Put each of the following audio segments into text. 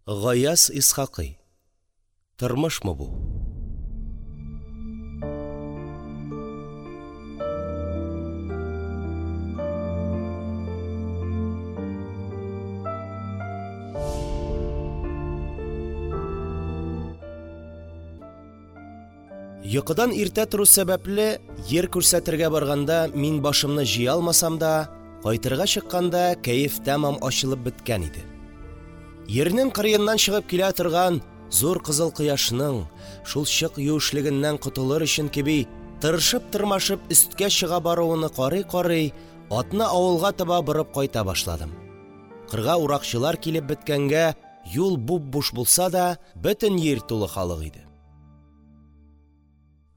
Гаяз Исхакый. Тормышмы бу? Йокыдан иртә тору сәбәпле, йир күрсәтергә барганда мин башымны җыя алмасам да, кайтырга чыкканда кәеф тәмам ачылып беткән иде. Йирнең кырыеннан чыгып килә торган зур кызыл кояшның, шул чык юешлегеннән котылыр өчен кеби, тырышып-тырмашып өсткә чыга баруыны карый-карый, атны авылга таба борып кайта башладым. Кырга уракчылар килеп беткәнгә, юл буп-буш булса да, бөтен йир тулы халык иде.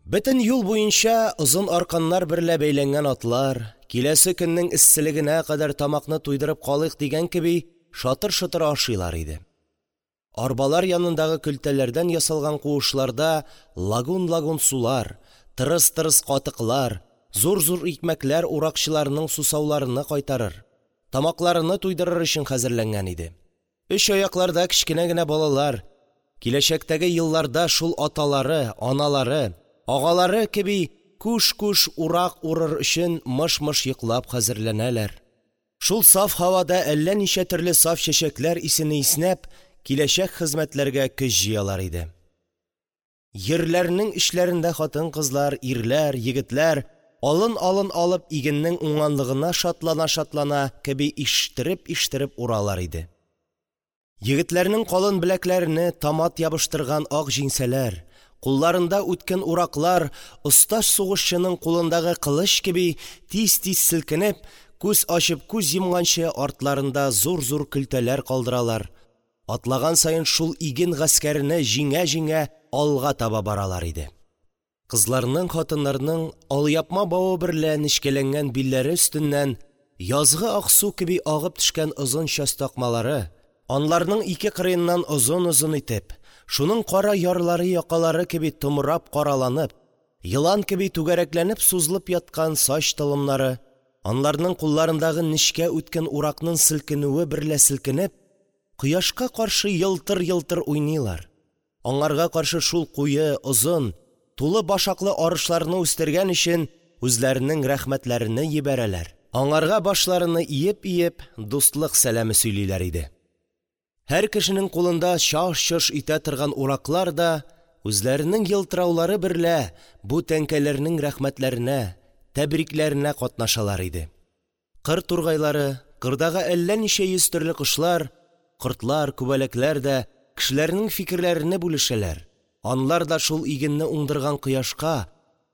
Бөтен юл буенча озын арканнар берлә бәйләнгән атлар, киләсе көннең эсселегенә кадәр тамакны туйдырып калыйк дигән кеби, шатыр-шотыр ашыйлар иде. Арбалар янындагы көлтәләрдән ясалган куышларда лагун-лагун сулар, тырыс-тырыс катыклар, зур-зур икмәкләр уракчыларның сусауларыны кайтарыр, тамакларыны туйдырыр өчен хәзерләнгән иде. Өч аякларда кечкенә генә балалар, киләчәктәге елларда шул аталары, аналары, агалары кеби күш-күш урак урыр өчен мыш-мыш йоклап хәзерләнәләр. Шул саф һавада әллә ничә төрле саф чәчәкләр исене иснәп, киләчәк хезмәтләргә көч җыялар иде. Йирләрнең эчләрендә хатын-кызлар, ирләр, егетләр, алын-алын алып, игеннең уңганлыгына шатлана-шатлана кеби иштереп-иштереп уралар иде. Егетләрнең калын беләкләрене томат ябыштырган ак җиңсәләр, кулларында үткен ураклар оста сугышчының кулындагы кылыч кеби тиз-тиз селкенеп, күз ачып күз йомганчы артларында зур-зур көлтәләр калдыралар, Атлаган саен шул иген гаскәрене җиңә-җиңә алга таба баралар иде. Кызларның, хатыннарның алъяпма бавы берлә нечкәләнгән билләре өстеннән язгы ак су кеби агып төшкән озын сач такмалары, анларның ике кырыеннан озын-озын итеп, шуның кара ярлары-якалары кеби томрап караланып, елан кеби түгәрәкләнеп сузылып яткан сач толымнары, анларның кулларындагы нечкә үткен уракның селкенүе берлә селкенеп, кояшка каршы елтыр-елтыр уйныйлар, аңарга каршы шул куе, озын, тулы башаклы арышларны үстергән өчен үзләренең рәхмәтләрене җибәрәләр, аңарга башларыны иеп-иеп, дустлык сәламе сөйлиләр иде. Һәр кешенең кулында чаж-чож итә торган ураклар да үзләренең елтыраулары берлә бу тәңкәләрнең рәхмәтләренә, тәбрикләренә катнашалар иде. Кыр тургайлары, кырдагы әллә ничә йөз төрле кошлар, кортлар, күбәләкләр дә кешеләрнең фикерләрене бүлешәләр, анлар да шул игенне уңдырган кояшка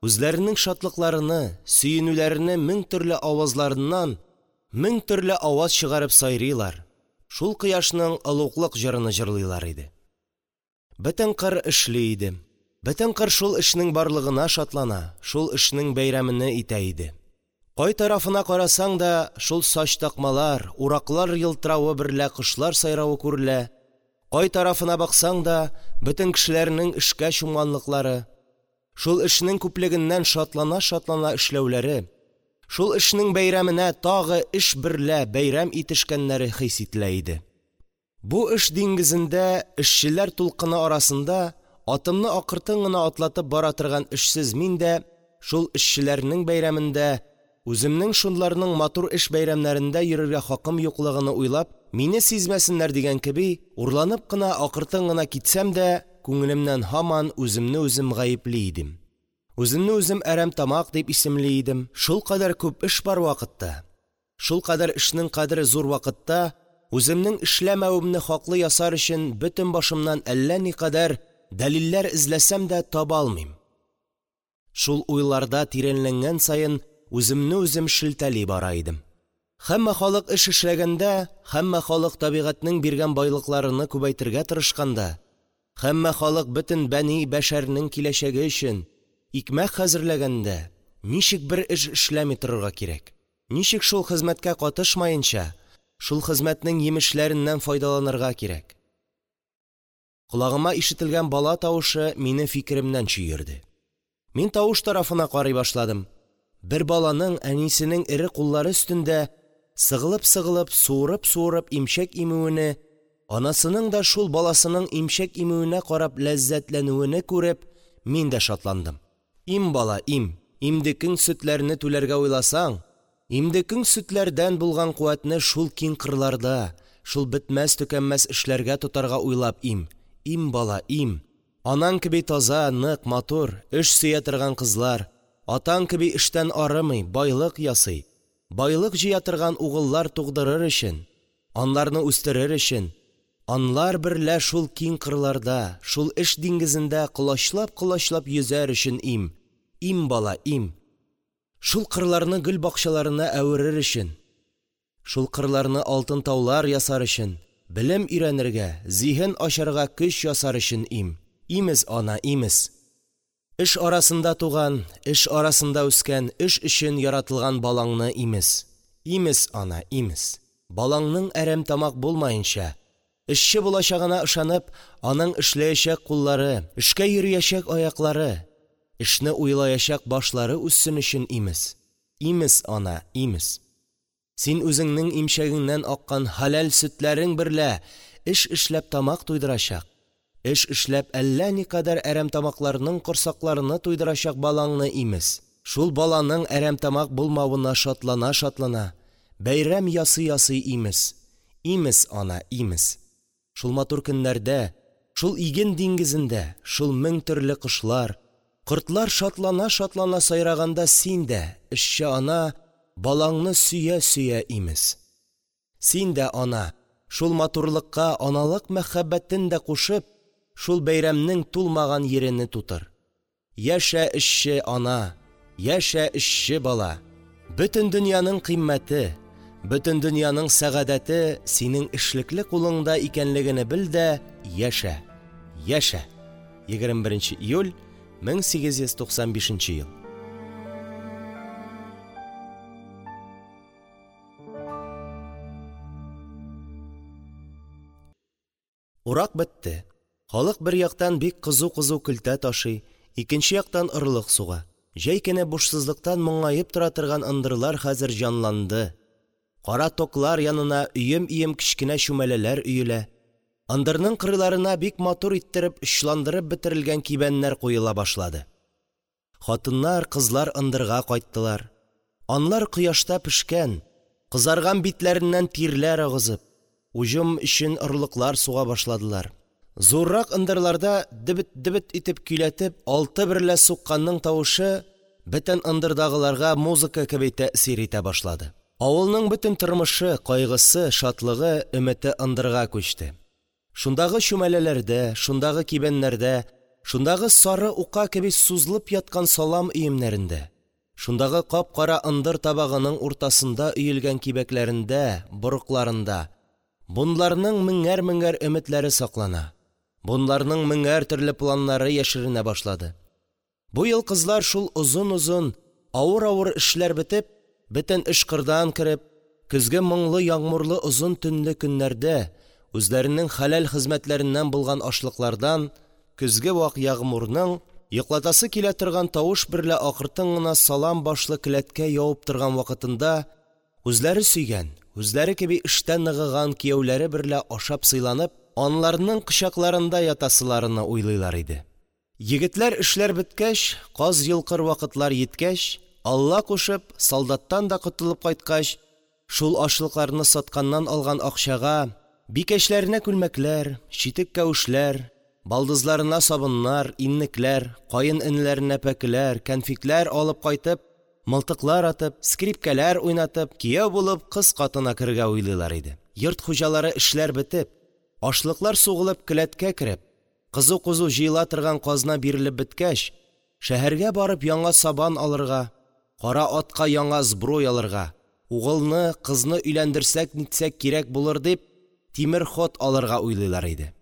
үзләренең шатлыкларыны, сөенүләрене мең төрле авазларыннан мең төрле аваз чыгарып сайрыйлар, шул кояшның олуглык җырыны җырлыйлар иде. Бөтен кыр эшли иде. Бөтен кыр шул эшнең барлыгына шатлана, шул эшнең бәйрәмене итә иде. Кай тарафына карасаң да, шул сач такмалар, ураклар елтыравы берлә кошлар сайравы күрелә. Кай тарафына баксаң да, бөтен кешеләрнең эшкә чумганлыклары, шул эшнең күплегеннән шатлана-шатлана эшләүләре, шул эшнең бәйрәменә тагы эш берлә бәйрәм итешкәннәре хис ителә иде. Бу эш диңгезендә, эшчеләр тулкыны арасында атымны акыртын гына атлатып бара торган эшсез мин дә шул эшчеләрнең бәйрәмендә, үземнең шунларның матур эш бәйрәмнәрендә йөрергә хакым юклыгыны уйлап, мине сизмәсеннәр дигән кеби, урланып кына, акыртын гына китсәм дә, күңелемнән һаман үземне үзем гаепли идем. Үземне үзем әрәмтамак дип исемли идем. Шулкадәр күп эш бар вакытта, шулкадәр эшнең кадере зур вакытта үземнең эшләмәвемне хаклы ясар өчен бөтен башымнан әллә никадәр дәлилләр эзләсәм дә таба алмыйм. Шул уйларда тирәнләнгән саен үземне үзем шелтәли бара идем. Һәммә халык эш эшләгәндә, һәммә халык табигатьнең биргән байлыкларыны күбәйтергә тырышканда, һәммә халык бөтен бәни бәшәрнең киләчәге өчен икмәк хәзерләгәндә, ничек бер эш эшләми торырга кирәк? Ничек шул хезмәткә катышмаенча, шул хезмәтнең йимешләреннән файдаланырга кирәк? Колагыма ишетелгән бала тавышы мине фикеремнән чөерде. Мин тавыш тарафына карый башладым. Бер баланың әнисенең эре куллары өстендә сыгылып-сыгылып, суырып-суырып имчәк имүене, Анасының да шул баласының имчәк имүенә карап ләззәтләнүене күреп, мин дә шатландым. Им, бала, им! Имдекең сөтләрне түләргә уйласаң, имдекең сөтләрдән булган куәтне шул киң кырларда, шул бетмәс-төкәнмәс эшләргә тотарга уйлап им! Им, бала, им! Анаң кеби таза, нык, матур, эш сөя торган кызлар, атаң кеби эштән арымый, байлык ясый, байлык җыя торган угыллар тугъдырыр өчен, аларны үстерер өчен, алар берлә шул киң кырларда, шул эш диңгезендә колачлап-колачлап йөзәр өчен им! Им, бала, им! Шул кырларны гөл бакчаларына әверер өчен, шул кырларны алтын таулар ясар өчен, белем өйрәнергә, зиһен ачарга көч ясар өчен им! Имез, ана, имез! Эш арасында туган, эш арасында үскән, эш өчен яратылган балаңны имез! Имез, ана, имез! Балаңның әрәмтамак булмаенча, эшче булачагына ышанып, аның эшләячәк куллары, эшкә йөриячәк аяклары, эшне уйлаячак башлары үссен өчен имез! Имез, ана, имез! Син үзеңнең имчәгеңнән аккан хәләл сөтләрең берлә эш эшләп тамак туйдырачак, эш эшләп әллә никадәр әрәмтамакларның корсакларыны туйдырачак балаңны имез! Шул баланың әрәмтамак булмавына шатлана-шатлана, бәйрәм ясый-ясый имез! Имез, ана, имез! Шул матур көннәрдә, шул иген диңгезендә, шул мең төрле кошлар, кортлар шатлана-шатлана сайраганда син дә, эшче ана, балаңны сөя-сөя имез! Син дә, ана, шул матурлыкка аналык мәхәббәтен дә кушып, шул бәйрәмнең тулмаган йирене тутыр. Яшә, эшче ана! Яшә, эшче бала! Бөтен дөньяның кыйммәте, бөтен дөньяның сәгадәте синең эшлекле кулыңда икәнлегене бел дә яшә! Яшә! 21 июль 1895 ел. Урак бетте. Халык бер яктан бик кызу-кызу көлтә ташый, икенче яктан орлык суга. Җәй көне бушсызлыктан моңаеп тора торган ындырлар хәзер җанланды. Кара токлар янына өем-өем кечкенә чүмәләләр өелә. Ындырның кырыйларына бик матур иттереп очландырып бетерелгән кибәннәр куела башлады. Хатыннар, кызлар ындырга кайттылар. Анлар кояшта пешкән, кызарган битләреннән тирләр агызып, уҗым өчен орлыклар суга башладылар. Зуррак ындырларда дөбет-дөбет итеп көйләтеп алты берлә сукканның тавышы бөтен ындырдагыларга музыка кеби тәэсир итә башлады. Авылның бөтен тормышы, кайгысы, шатлыгы, өмете ындырга күчте. Шундагы чүмәләләрдә, шундагы кибәннәрдә, шундагы сары ука кеби сузылып яткан салам өемнәрендә, шундагы кап-кара ындыр табагының уртасында өелгән кибәкләрендә, борыкларында бунларның меңәр-меңәр өметләре саклана, бунларның меңәр төрле планнары яшеренә башлады. Бу ел кызлар шул озын-озын, авыр-авыр эшләр бетеп, бөтен эш кырдан кереп, көзге моңлы ягъмурлы озын төнле көннәрдә үзләренең хәләл хезмәтләреннән булган ашлыклардан көзге вак ягъмурның йоклатасы килә торган тавыш берлә акыртын гына салам башлы келәткә явып торган вакытында үзләре сөйгән, үзләре кеби эштә ныгыган кияүләре берлә ашап сыйланып, анларның кочакларында ятасыларыны уйлыйлар иде. Егетләр эшләр беткәч, каз йолкыр вакытлар йиткәч, Алла кушып, солдаттан да котылып кайткач, шул ашлыкларны сатканнан алган акчага бикәчләренә күлмәкләр, читек-кәвешләр, балдызларына сабыннар, иннекләр, каенэнеләренә пәкеләр, кәнфитләр алып кайтып, мылтыклар атып, скрипкәләр уйнатып, кияү булып кыз катына керергә уйлыйлар иде. Йорт хуҗалары эшләр бетеп, ашлыклар сугылып келәткә кереп, кызу-кызу җыела торган казна бирелеп беткәч, шәһәргә барып яңа сабан алырга, кара атка яңа сбруй алырга, угылны, кызны өйләндерсәк-нитсәк кирәк булыр дип, тимер ход алырга уйлыйлар иде.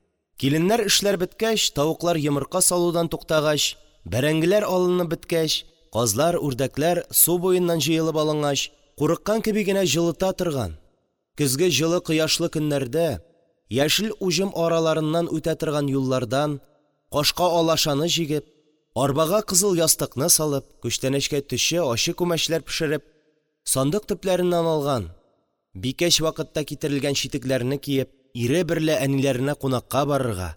Киленнәр эшләр беткәч, тавыклар йомырка салудан туктагач, бәрәңгеләр алынып беткәч, казлар, үрдәкләр су буеннан җыелып алынгач, курыккан кеби генә җылыта торган, көзге җылы кояшлы көннәрдә яшел уҗым араларыннан үтә торган юллардан кашка алашаны җигеп, арбага кызыл ястыкны салып, күчтәнәчкә төче, ачы күмәчләр пешереп, сандык төпләреннән алган, бикәч вакытта китерелгән читекләрне киеп, ире берлә әниләренә кунакка барырга,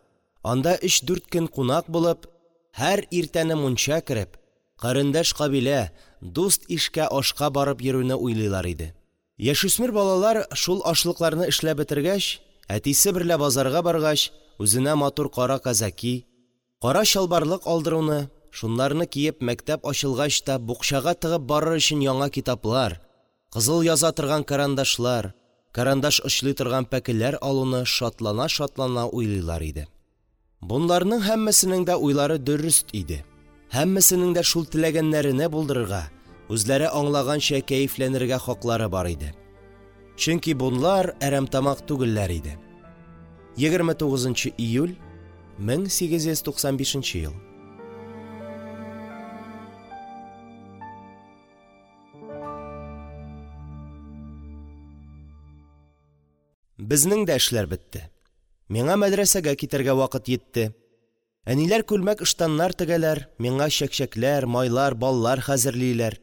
анда өч-дүрт көн кунак булып, һәр иртәне мунча кереп, карендәш-кабилә, дуст-ишкә ашка барып йөрүне уйлыйлар иде. Яшүсмер балалар, шул ашлыкларны эшләп бетергәч, әтисе берлә базарга баргач, үзенә матур кара казаки, кара чалбарлык алдыруны, шунларны киеп, мәктәп ачылгач та букчага тыгып барыр өчен яңа китаплар, кызыл яза торган карандашлар, карандаш очлый торган пәкеләр алуны шатлана-шатлана уйлыйлар иде. Бунларның һәммәсенең дә уйлары дөрест иде. Һәммәсенең дә шул теләгәннәрене булдырырга, үзләре аңлаганча кәефләнергә хаклары бар иде. Чөнки бунлар әрәмтамак түгелләр иде. 29 июль 1895 ел. Безнең дә эшләр бетте. Миңа мәдрәсәгә китәргә вакыт йитте. Әниләр күлмәк-ыштаннар тегәләр, миңа чәкчәкләр, майлар, баллар хәзерлиләр.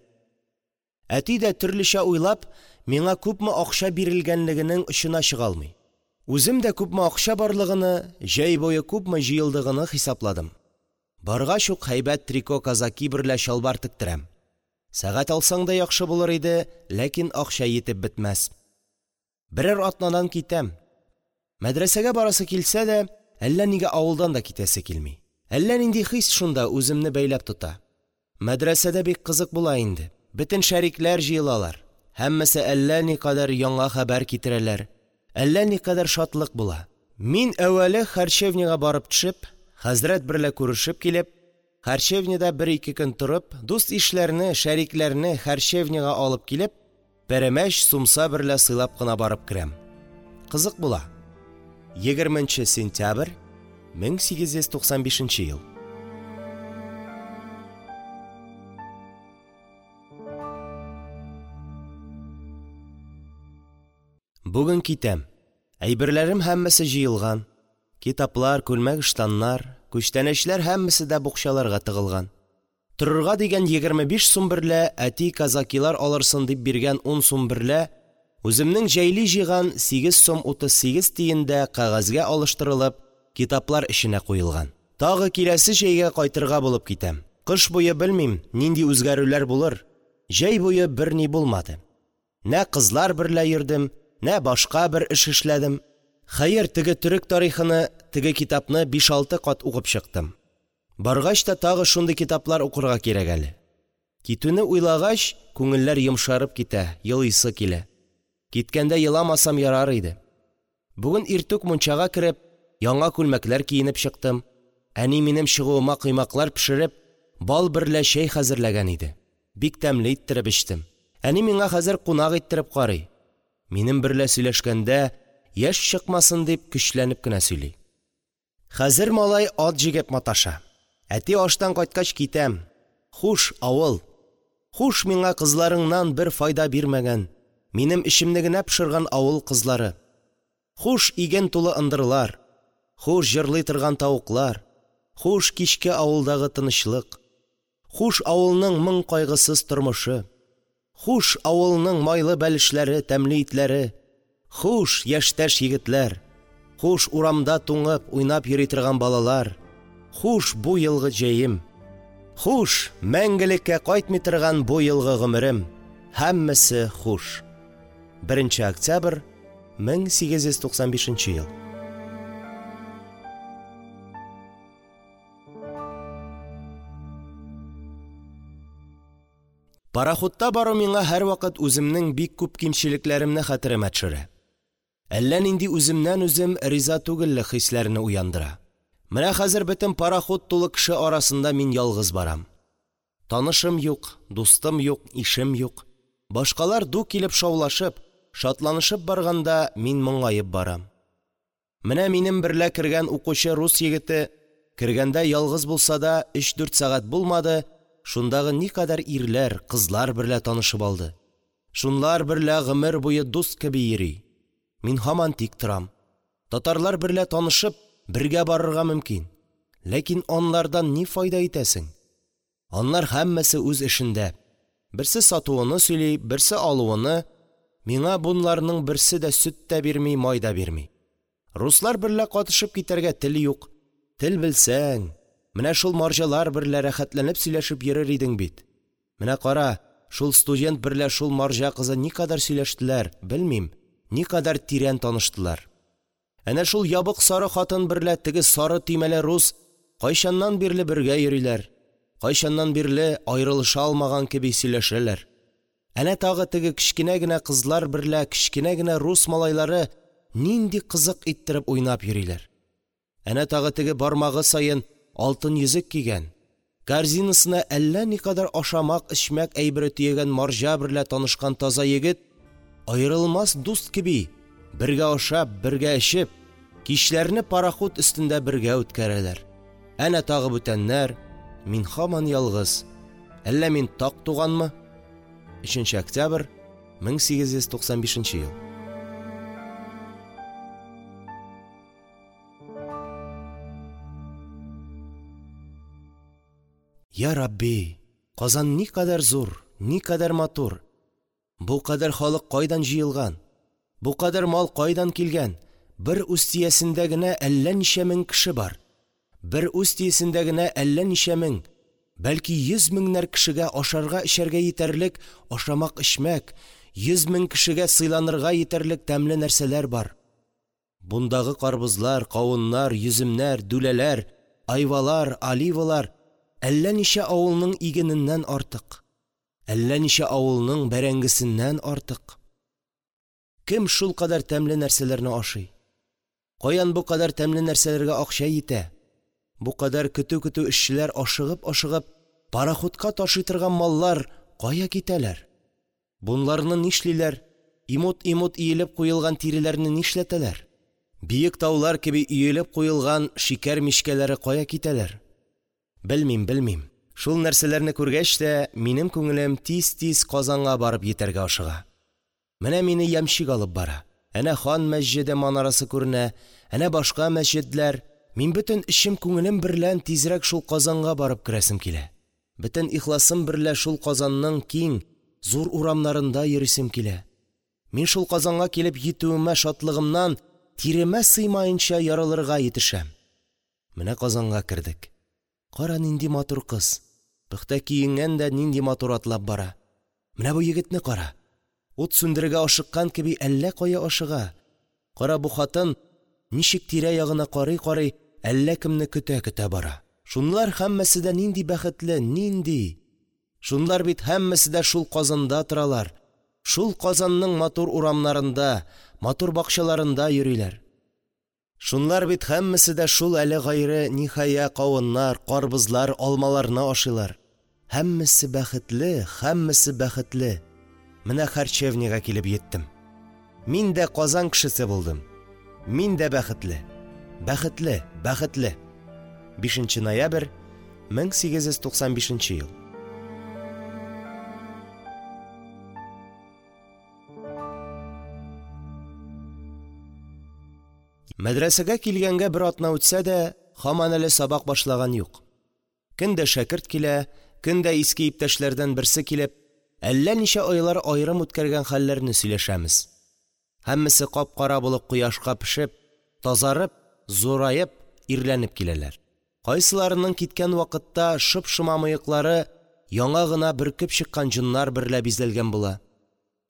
Әти дә, төрлечә уйлап, миңа күпме акча бирелгәнлегенең очына чыга алмый. Үзем дә күпме акча барлыгыны, җәй буе күпме җыелдыгыны хисапладым. Баргач ук һәйбәт трико казаки берлә чалбар тектерәм. Сәгать алсаң да яхшы булыр иде, ләкин акча йитеп бетмәс. Берәр атнадан китәм. Мәдрәсәгә барасы килсә дә, әллә нигә авылдан да китәсе килми. Әллә нинди хис шунда үземне бәйләп тота. Мәдрәсәдә бик кызык була инде. Бөтен шәрикләр җыелалар. Һәммәсе әллә никадәр яңа хәбәр китерәләр. Әллә никадәр шатлык була. Мин әүвәле харчевнягә барып төшеп, хәзрәт берлә күрешеп килеп, харчевнядә бер-ике көн торып, дуст-ишләрне, шәрикләрне харчевнягә алып килеп, пәрәмәч, сумса берлә сыйлап кына барып керәм. Кызык була. 20 сентябрь 1895 ел. Бүген китәм. Әйберләрем һәммәсе җыелган. Китаплар, күлмәк-ыштаннар, күчтәнәчләр һәммәсе дә букчаларга тыгылган. Торырга дигән 25 сум берлә әти казакилар алырсын дип биргән 10 сум берлә үземнең җәйли җыйган 8 сум 38 тиен дә кәгазьгә алыштырылып, китаплар эченә куелган. Тагы киләсе җәйгә кайтырга булып китәм. Кыш буе белмим, нинди үзгәрүләр булыр. Җәй буе берни булмады. Нә кызлар берлә йөрдем, нә башка бер эш эшләдем. Хәер, теге төрек тарихыны, теге китапны 5-6 кат укып чыктым. Баргач та тагы шундый китаплар укырга кирәк әле. Китүне уйлагач, күңелләр йомшарып китә, елыйсы килә. Киткәндә еламасам ярар иде. Бүген иртүк мунчага кереп, яңа күлмәкләр киенеп чыктым. Әни минем чыгуыма коймаклар пешереп, бал берлә чәй хәзерләгән иде. Бик тәмле иттереп эчтем. Әни миңа хәзер кунак иттереп карый. Минем берлә сөйләшкәндә, яшь чыкмасын дип көчләнеп кенә сөйли. Хәзер малай ат җигеп маташа. Әти аштан кайткач китәм. Хуш, авыл. Хуш миңа кызларыңнан бер файда бирмәгән, минем эчемне генә пошырган авыл кызлары. Хуш, иген тулы ындырлар. Хуш, җырлый торган тавыклар. Хуш, кичке авылдагы тынычлык. Хуш, авылның моң кайгысыз тормышы. Хуш, авылның майлы бәлешләре, тәмле итләре. Хуш, яшьтәш егетләр. Хуш, урамда туңып уйнап йөри торган балалар. Хуш, бу елгы җәем. Хуш, мәңгелеккә кайтмый торган бу елгы гомерем. Һәммәсе хуш. 1 октябрь 1895 ел. Пароходта бару миңа һәрвакыт үземнең бик күп кимчелекләремне хәтеремә төшерә. Әллә нинди үземнән-үзем риза түгеллек хисләренә уяндыра. Менә хәзер бөтен пароход тулы кеше арасында мин ялгыз барам. Танышым юк, дустым юк, ишем юк. Башкалар ду килеп шаулашып, шатланышып барганда, мин моңаеп барам. Менә минем берлә кергән укучы рус егете, кергәндә ялгыз булса да, 3-4 сәгать булмады, шундагы никадәр ирләр, кызлар берлә танышып алды. Шунлар берлә гомер буе дуст кеби йөри. Мин һаман тик торам. Татарлар берлә танышып, бергә барырга мөмкин. Ләкин анлардан ни файда итәсең? Анлар һәммәсе үз эшендә. Берсе сатуыны сөйли, берсе алуыны. Миңа бунларның берсе дә сөт тә бирми, май да бирми. Руслар берлә катышып китәргә тел юк. Тел белсәң, менә шул марҗалар берлә рәхәтләнеп сөйләшеп йөрер идең бит. Менә кара, шул студент берлә шул марҗа кызы никадәр сөйләштеләр, белмим, никадәр тирән таныштылар. Әнә шул ябык сары хатын берлә теге сары төймәле рус кайчаннан бирле бергә йөриләр, кайчаннан бирле аерылыша алмаган кеби сөйләшәләр. Әнә тагы теге кечкенә генә кызлар берлә кечкенә генә рус малайлары нинди кызык иттереп уйнап йөриләр. Әнә тагы теге бармагы саен алтын йөзек кигән, корзинасына әллә никадәр ашамак-эчмәк әйбере төягән марҗа берлә танышкан таза егет, аерылмас дуст кеби, бергә ашап, бергә эчеп, кичләрне пароход өстендә бергә үткәрәләр. Әнә тагы бүтәннәр, мин һаман ялгыз. Әллә мин так туганмы? 3 октябрь 1895 ел. Йа Рабби, Казан никадәр зур, никадәр матур! Бу кадәр халык кайдан җыелган? Бу кадәр мал кайдан килгән? Бер Устиясендә генә әллә ничә мең кеше бар. Бер Устиясендә генә әллә ничә мең, бәлки йөз меңнәр кешегә ашарга-эчәргә җитәрлек ашамак-эчмәк, йөз мең кешегә сыйланырга җитәрлек тәмле нәрсәләр бар. Бундагы карбызлар, кавыннар, йөземнәр, дүләләр, айвалар, оливалар әллә ничә авылның игененнән артык, әллә ничә авылның бәрәңгесеннән артык. Кем шулкадәр тәмле нәрсәләрне ашый? Каян бу кадәр тәмле нәрсәләргә акча җитә? Бу кадәр көтү-көтү эшчеләр ашыгып-ашыгып пароходка ташый торган маллар кая китәләр? Бунларны нишлиләр? Имут-имут иелеп куелган тиреләрне нишләтәләр? Биек таулар кеби өелеп куелган шикәр мичкәләре кая китәләр? Белмим, белмим. Шул нәрсәләрне күргәч тә, минем күңелем тиз-тиз Казанга барып җитәргә ашыга. Менә мине ямщик алып бара. Әнә хан мәсҗеде манарасы күренә, әнә башка мәсҗедләр. Мин бөтен эчем күңелем берлән тизрәк шул Казанга барып керәсем килә. Бөтен ихласым берлә шул Казанның киң, зур урамнарында йөрисем килә. Мин шул Казанга килеп җитүемә шатлыгымнан тиремә сыймаенча ярылырга җитешәм. Менә Казанга кердек. Кара, нинди матур кыз. Пөхтә киенгән дә нинди матур атлап бара. Менә бу егетне кара. Ут сүндерергә ашыккан кеби әллә кая ашыга. Кара, бу хатын ничек тирә-ягына карый-карый, әллә кемне көтә-көтә бара. Шунлар һәммәсе дә нинди бәхетле, нинди! Шунлар бит һәммәсе дә шул Казанда торалар, шул Казанның матур урамнарында, матур бакчаларында йөриләр. Шунлар бит һәммәсе дә шул әле гайре ниһая кавыннар, карбызлар, алмаларны ашыйлар. Һәммәсе бәхетле, һәммәсе бәхетле. Менә харчевнягә килеп җиттем. Мин дә Казан кешесе булдым. Мин дә бәхетле. Бәхетле, бәхетле. 5 ноябрь 1895 ел. Мәдрәсәгә килгәнгә бер атна үтсә дә, һаман әле сабак башлаган юк. Көн дә шәкерт килә, көн дә иске иптәшләрдән берсе килеп, әллә ничә айлар аерым үткәргән хәлләрне сөйләшәмез. Һәммәсе кап-кара булып кояшка пешеп, тазарып, зураеп, ирләнеп киләләр. Кайсыларының киткән вакытта шоп-шома мыеклары яңа гына бөркеп чыккан җоннар берлә бизәлгән була.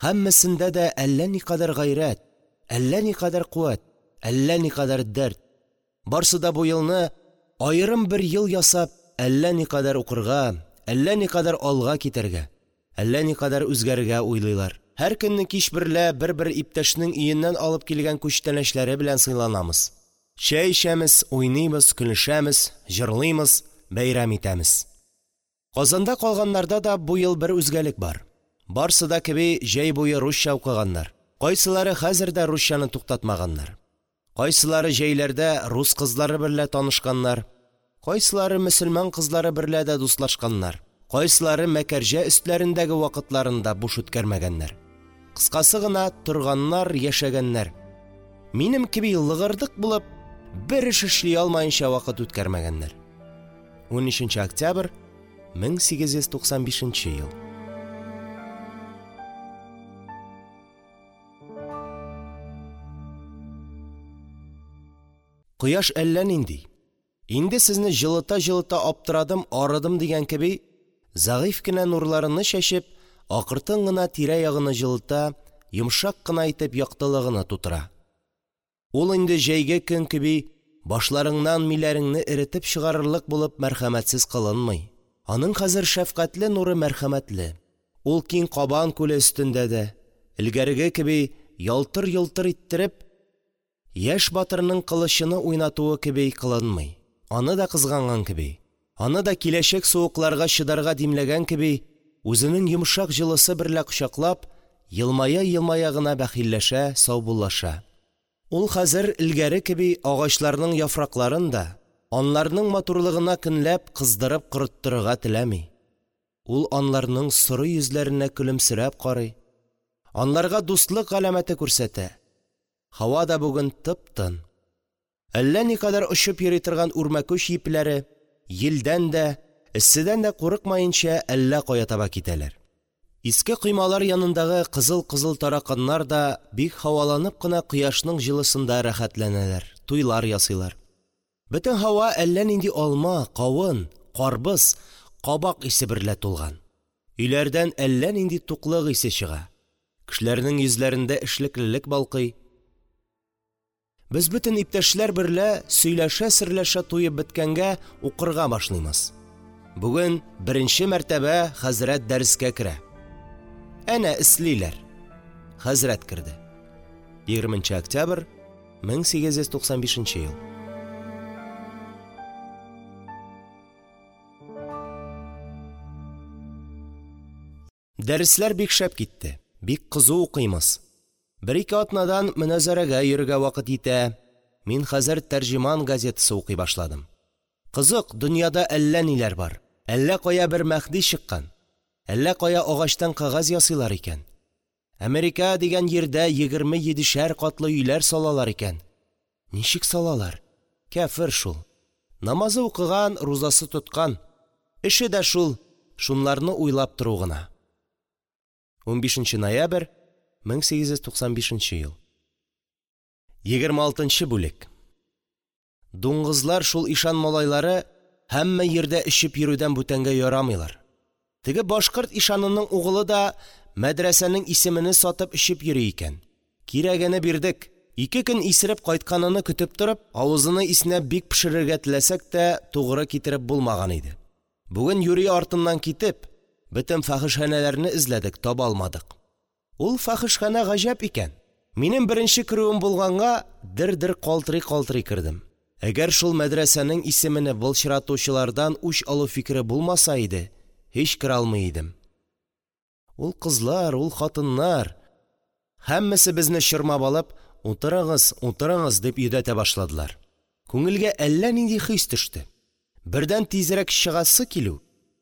Һәммәсендә дә әллә никадәр гайрәт, әллә никадәр куәт, әллә никадәр дәрт. Барсы да бу елны аерым бер ел ясап, әллә никадәр укырга, әллә никадәр алга китәргә, әллә никадәр үзгәрергә уйлыйлар. Һәр көнне кич берлә бер-бер иптәшнең өеннән алып килгән күчтәнәчләре белән сыйланамыз. Чәй эчәмез, уйныймыз, көлешәмез, җырлыймыз, бәйрәм итәмез. Казанда калганнарда да бу ел бер үзгәлек бар. Барсы да кеби җәй буе русча укыганнар. Кайсылары хәзер дә русчаны туктатмаганнар. Кайсылары җәйләрдә рус кызлары берлә танышканнар, кайсылары мөселман кызлары берлә дә дуслашканнар, кайсылары Мәкәрҗә өстләрендәге вакытларын да буш үткәрмәгәннәр. Кыскасы гына, торганнар, яшәгәннәр. Минем кеби лыгырдык булып, бер эш эшли алмаенча вакыт үткәрмәгәннәр. 13 октябрь 1895 ел. Кояш әллә нинди, инде сезне җылыта-җылыта аптырадым, арыдым дигән кеби, зәгыйфь кенә нурларыны чәчеп, акыртын гына тирә-ягыны җылыта, йомшак кына итеп яктылыгыны тутыра. Ул инде җәйге көн кеби башларыңнан миләреңне эретеп чыгарырлык булып мәрхәмәтсез кылынмый. Аның хәзер шәфкатьле нуры мәрхәмәтле. Ул киң Кабан күле өстендә дә, элгәреге кеби ялтыр-йолтыр иттереп, яшь батырның кылычыны уйнатуы кеби кылынмый. Аны да кызганган кеби, аны да киләчәк суыкларга чыдарга димләгән кеби, үзенең йомшак җылысы берлә кочаклап, елмая-елмая гына бәхилләшә, саубуллаша. Ул хәзер элгәре кеби агачларның яфракларын да, анларның матурлыгына көнләп, кыздырып корыттырырга теләми. Ул анларның соры йөзләренә көлемсерәп карый, анларга дустлык галәмәте күрсәтә. Һава да бүген тып-тын. Әллә никадәр очып йөри торган үрмәкүч йипләре, йилдән дә, эсседән дә курыкмаенча, әллә кая таба китәләр. Иске коймалар янындагы кызыл-кызыл тараканнар да бик һаваланып кына кояшның җылысында рәхәтләнәләр, туйлар ясыйлар. Бөтен һава әллә нинди алма, кавын, карбыз, кабак исе берлә тулган. Өйләрдән әллә нинди туклык исе чыга. Кешеләрнең йөзләрендә эшлеклелек балкый. Без бөтен иптәшләр берлә сөйләшә-серләшә туеп беткәнгә укырга башлыймыз. Бүген беренче мәртәбә хәзрәт дәрескә керә. Әнә эслиләр. Хәзрәт керде. 20 октябрь 1895 ел. Дәресләр бик шәп китте. Бик кызу укыймыз. Бер-ике атнадан моназарәгә йөрергә вакыт җитә. Мин хәзер Тәрҗеман газетасы укый башладым. Кызык, дөньяда әллә ниләр бар. Әллә кая бер Мәһди чыккан. Әллә кая агачтан кәгазь ясыйлар икән. Америка дигән җирдә 27шәр катлы өйләр салалар икән. Ничек салалар? Кяфер шул. Намазы укыган, рузасы тоткан. Эше дә шул, шунларны уйлап тору гына. 15 ноябрь 1895 ел. 26 бүлек. Дуңгызлар шул ишан малайлары һәммә җирдә эчеп йөрүдән бүтәнгә ярамыйлар. Теге башкорт ишанының угылы да мәдрәсәнең исемене сатып эчеп йөри икән. Кирәгене бирдек. Ике көн исереп кайтканыны көтеп торып, авызыны иснәп бик пешерергә теләсәк тә, тугры китереп булмаган иде. Бүген юри артыннан китеп, бөтен фәхешханәләрне эзләдек, таба алмадык. Ул фәхешханә гаҗәп икән. Минем беренче керүем булганга, дер-дер калтырый-калтырый кердем. Әгәр шул мәдрәсәнең исемене былчыратучылардан үч алу фикере булмаса иде, һич керә алмый идем. Ул кызлар, ул хатыннар һәммәсе безне чормап алып, «Утырыгыз, утырыгыз» дип йөдәтә башладылар. Күңелгә әллә нинди хис төште. Бердән тизрәк чыгасы килү,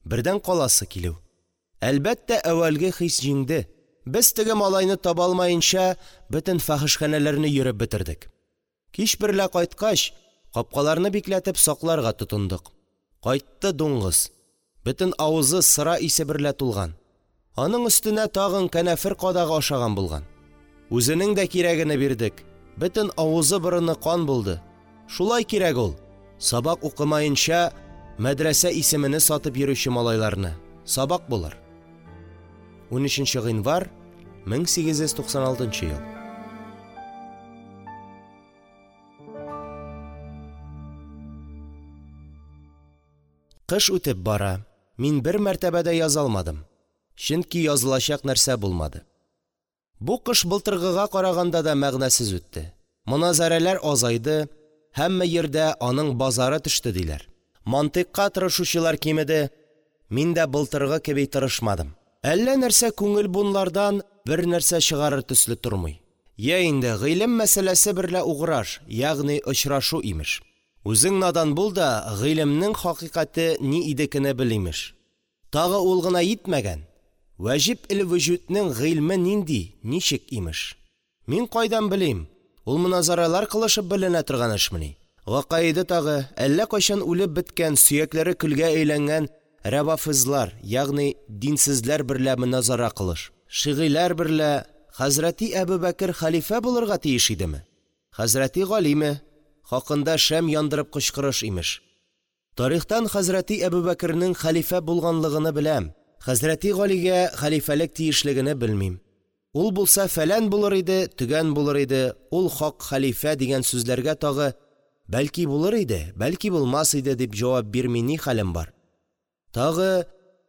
бердән каласы килү. Әлбәттә, әүвәлге хис җиңде. Без теге малайны таба алмаенча, бөтен фәхешханәләрне йөреп бетердек. Кич берлә кайткач, капкаларны бикләтеп сакларга тотындык. Кайтты дуңгыз. Бөтен авызы сыра исе берлә тулган. Аның өстенә тагын канәфер кадагы ашаган булган. Үзенең дә кирәгене бирдек. Бөтен авызы-борыны кан булды. Шулай кирәк ул. Сабак укымаенча мәдрәсә исемене сатып йөрүче малайларны. Сабак булыр. 13 гыйнвар 1896 ел. Кыш үтеп бара. Мин бер мәртәбә дә яза алмадым. Чөнки язылачак нәрсә булмады. Бу кыш былтыргыга караганда да мәгънәсез үтте. Моназарәләр азайды, һәммә җирдә аның базары төште диләр. Мантыйкка тырышучылар кимеде. Мин дә былтыргы кеби тырышмадым. Әллә нәрсә күңел бунлардан бер нәрсә чыгарыр төсле тормый. Йә инде гыйлем мәсьәләсе берлә уграш, ягъни очрашу имеш. Үзең надан бул да, гыйлемнең хакыйкате ни идекене бел имеш. Тагы ул гына йитмәгән. Ваҗиб эл-вөҗүднең гыйльме нинди, ничек имеш. Мин кайдан белим? Ул моназаралар кылышып беленә торган эшмени? Гакаиды тагы, әллә кайчан үлеп беткән, сөякләре көлгә әйләнгән рәвафизлар, ягъни динсезләр берлә моназара кылыш. Шигыйләр берлә хәзрәти Әбүбәкер хәлифә булырга тиеш идеме? Хәзрәти Галиме? хакында шәм яндырып кычкырыш, имеш. Тарихтан хәзрәти Әбүбәкернең хәлифә булганлыгыны беләм, хәзрәти Галигә хәлифәлек тиешлегене белмим. Ул булса фәлән булыр иде, төгән булыр иде, ул хак хәлифә дигән сүзләргә тагы, бәлки, булыр иде, бәлки, булмас иде дип җавап бирми ни хәлем бар? Тагы,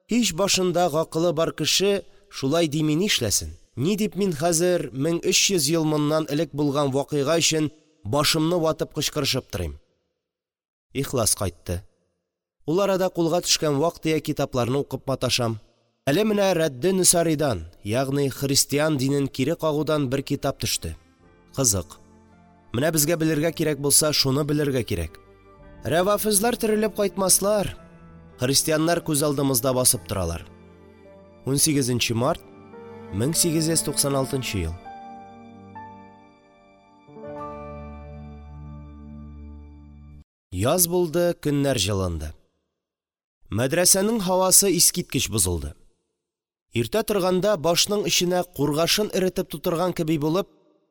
һич башында гакылы бар кеше шулай дими нишләсен? Ни дип мин хәзер 1300 ел моннан элек булган вакыйга өчен башымны ватып кычкырышып торыйм? Ихлас кайтты. Ул арада кулга төшкән вак-төяк китапларны укып маташам. Әле менә Рәдде Нөсаридан, ягъни христиан динен кире кагудан бер китап төште. Кызык. Менә безгә белергә кирәк булса, шуны белергә кирәк. Рәвафизлар терелеп кайтмаслар. Христианнар күз алдымызда басып торалар. 18 нче март 1896 ел. Яз булды, көннәр җылынды. Мәдрәсәнең һавасы искиткеч бозылды. Иртә торганда башның эченә кургашын эретеп тутырган кеби булып,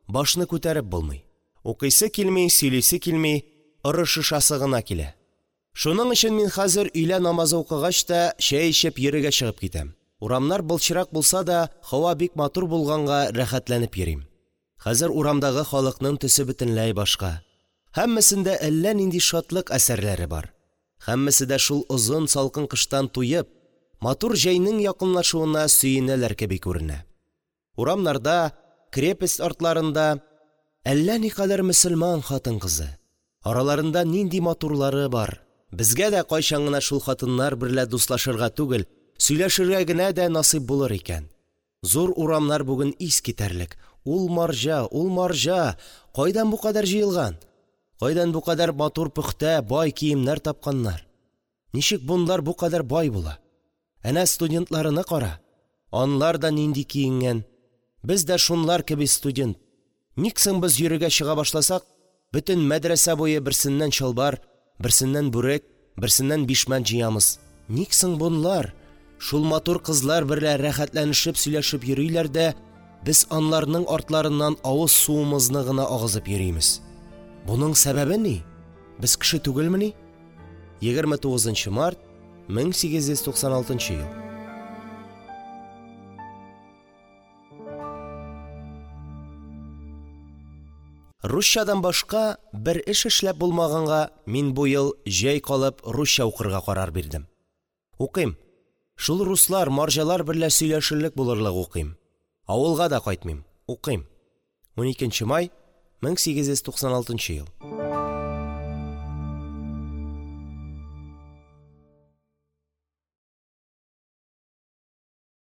башны күтәреп булмый. Укыйсы килми, сөйлисе килми, орышышасы гына килә. Шуның өчен мин хәзер өйлә намазы укыгач та, чәй эчеп йөрергә чыгып китәм. Урамнар былчырак булса да, һава бик матур булганга рәхәтләнеп йөрим. Хәзер урамдагы халыкның төсе бөтенләй башка. Һәммәсендә әллә нинди шатлык әсәрләре бар. Һәммәсе дә шул озын салкын кыштан туеп, матур җәйнең якынлашуына сөенәләр кеби күренә. Урамнарда, крепость артларында әллә никадәр мөселман хатын-кызы. Араларында нинди матурлары бар. Безгә дә кайчан гына шул хатыннар берлә дустлашырга түгел, сөйләшергә генә дә насыйп булыр икән. Зур урамнар бүген ис китәрлек. Ул марҗа, ул марҗа, кайдан бу кадәр җыелган? Кайдан бу кадәр матур пөхтә, бай киемнәр тапканнар? Ничек бунлар бу кадәр бай була? Әнә студентларыны кара. Анлар да нинди киенгән. Без дә шунлар кеби студент. Ник соң без йөрергә чыга башласак, бөтен мәдрәсә буе берсеннән чалбар, берсеннән бүрек, берсеннән бишмәт җыямыз? Ник соң бунлар шул матур кызлар берлә рәхәтләнешеп сөйләшеп йөриләр дә, без анларның артларыннан авыз суымызны гына агызып йөримез? Буның сәбәбе ни? Без кеше түгелмени? 29 нчы март 1896 ел. Русчадан башка бер эш эшләп булмаганга, мин бу ел җәй калып русча укырга карар бирдем. Укыйм. Шул руслар, марҗалар берлә сөйләшерлек булырлык укыйм. Авылга да кайтмыйм. Укыйм. 12 нче май 1896 ел.